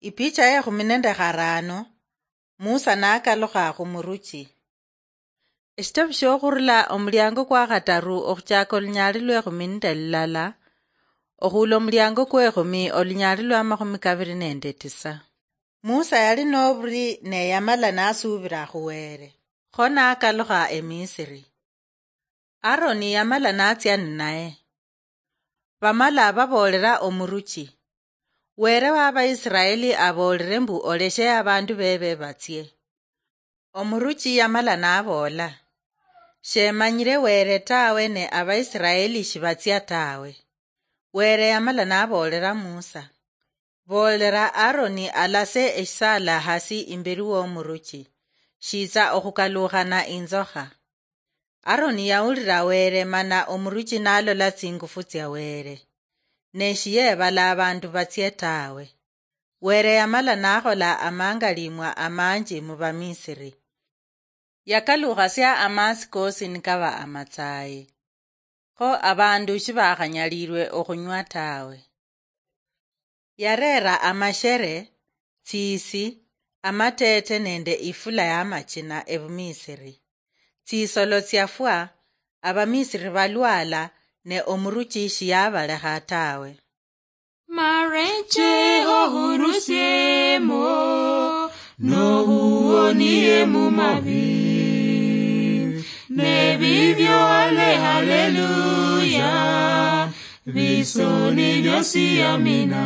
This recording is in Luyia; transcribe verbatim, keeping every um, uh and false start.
Ipicha ya ekhumi nende kharano. Musa nakalukha khumuruchi. Eshitabu shiokhurula omuliango kwa khataru okhuchaka olunyaali lwa ekhumi nende lulala, okhula omuliango kwa ekhumi olunyaali lwa makhumi kabiri nende tisa. Musa yali noburi ne yamala nasuubira khu Were. Kho nakalukha eMisiri. Aroni yamala natsia ninaye. Bamala baboolera omuruchi, "Were wa Abaisiraeli aboolere mbu oleshe abandu bebe batsie." Omuruchi yamala naboola, "Shemanyire Were tawe ne Abaisiraeli shibatsia tawe." Were yamala naboolera Musa, "Boolera Aroni alase eshisaala hasi imberi womuruchi, shitsa okhukalukhana inzokha." Aroni yawulira Were mana omuruchi nalola tsingufu tsia Were, ne shiyebala abandu batsie tawe. Were yamala nakhola amangalimwa amanji mu Bamisiri. Yakalukhasia amatsi kosi nikaba amatsayi. Kho abandu shibakhanyalilwe okhunywa tawe. Yareera amashere, tsisi, amateete nende ifula yamachina ebumisiri. Tsisolo tsiafwa, Abamisiri balwala, ne omuruchi shiyabalekha tawe. Mareche ohurusiemo, nohuonie mumabi. Nebibyo ale haleluya, bisoni byosi amina.